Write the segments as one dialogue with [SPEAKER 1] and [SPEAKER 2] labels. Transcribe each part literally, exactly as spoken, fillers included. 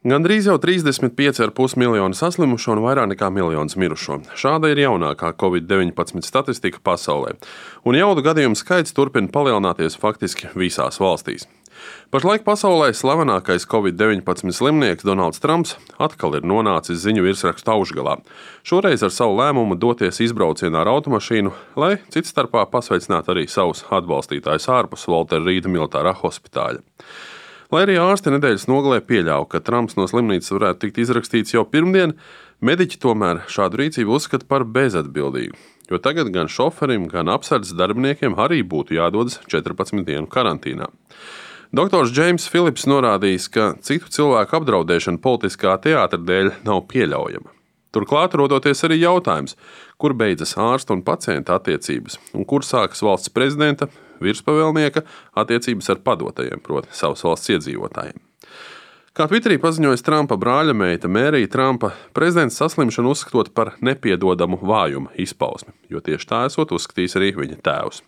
[SPEAKER 1] Gandrīz jau trīsdesmit pieci komats pieci miljoni saslimušo un vairāk nekā miljons mirušo. Šāda ir jaunākā covid deviņpadsmit statistika pasaulē, un jaudu gadījumu skaits turpina palielināties faktiski visās valstīs. Pašlaik pasaulē slavenākais covid deviņpadsmit slimnieks Donalds Trumps atkal ir nonācis ziņu virsrakstu augšgalā. Šoreiz ar savu lēmumu doties izbraucienā ar automašīnu, lai citstarpā pasveicinātu arī savus atbalstītājus ārpus Walter Reeda militārā hospitāļa. Lai arī ārsti nedēļas nogalē pieļāva, ka Trumps no slimnīcas varētu tikt izrakstīts jau pirmdien, mediķi tomēr šādu rīcību uzskata par bezatbildīgu, jo tagad gan šoferim, gan apsardzes darbiniekiem arī būtu jādodas četrpadsmit dienu karantīnā. Doktors Džeims Filips norādījis, ka citu cilvēku apdraudēšana politiskā teātra dēļ nav pieļaujama. Turklāt rodoties arī jautājums, kur beidzas ārsta un pacienta attiecības, un kur sākas valsts prezidenta, virspavēlnieka attiecības ar padotajiem, proti savas valsts iedzīvotājiem. Kā Twitterī paziņoja Trumpa brāļa meita Mērija Trumpa, prezidents saslimšanu uzskatot par nepiedodamu vājumu izpausmi, jo tieši tā esot uzskatījis arī viņa tēvs.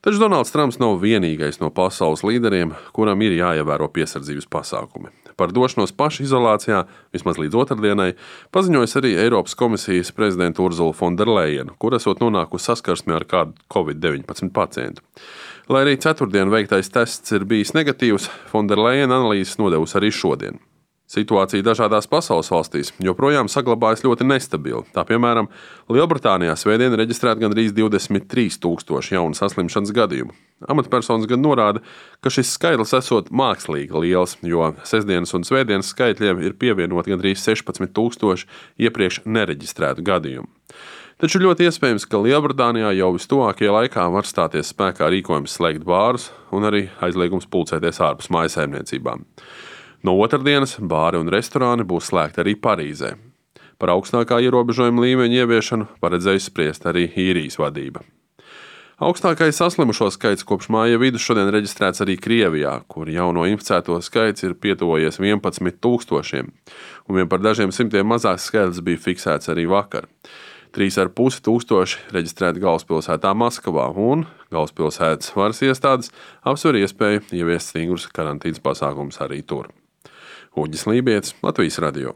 [SPEAKER 1] Taču Donalds Trumps nav vienīgais no pasaules līderiem, kuram ir jāievēro piesardzības pasākumi. Par došanos pašizolācijā, vismaz līdz otrdienai, paziņojas arī Eiropas komisijas prezidenta Urzula Fonderlejena, kur esot nonākusi saskarsmē ar kādu covid deviņpadsmit pacientu. Lai arī ceturtdien veiktais tests ir bijis negatīvs, Fonderlejena analīzes nodevusi arī šodien. Situācija dažādās pasaules valstīs joprojām saglabājas ļoti nestabila. Tā piemēram, Lielbritānijā svētdien reģistrēta gandrīz divdesmit trīs tūkstoši jaunu saslimšanas gadījumu. Amatpersonas gan norāda, ka šis skaitlis esot mākslīgi liels, jo sestdienas un svētdienas skaitļiem ir pievienoti gandrīz sešpadsmit tūkstoši iepriekš nereģistrētu gadījumu. Taču ļoti iespējams, ka Lielbritānijā jau vistuvākajā laikā var stāties spēkā rīkojums slēgt bārus un arī aizliegums pulcēties ārpus mājsaimniecībām. No otrdienas bāri un restorāni būs slēgti arī Parīzē. Par augstākā ierobežojuma līmeņa ieviešanu paredzējusi spriest arī īrijas vadība. Augstākais saslimušo skaits kopš māja vidus šodien reģistrēts arī Krievijā, kur jauno inficēto skaits ir pietuvojies vienpadsmit tūkstošiem, un vien par dažiem simtiem mazāks skaitlis bija fiksēts arī vakar. trīs ar pus tūkstoši reģistrēti galvaspilsētā Maskavā, un galvaspilsētas varas iestādes apsver iespēju ieviest stingrus karantīnas pasākumus arī tur. Uģis Lībietis, Latvijas radio.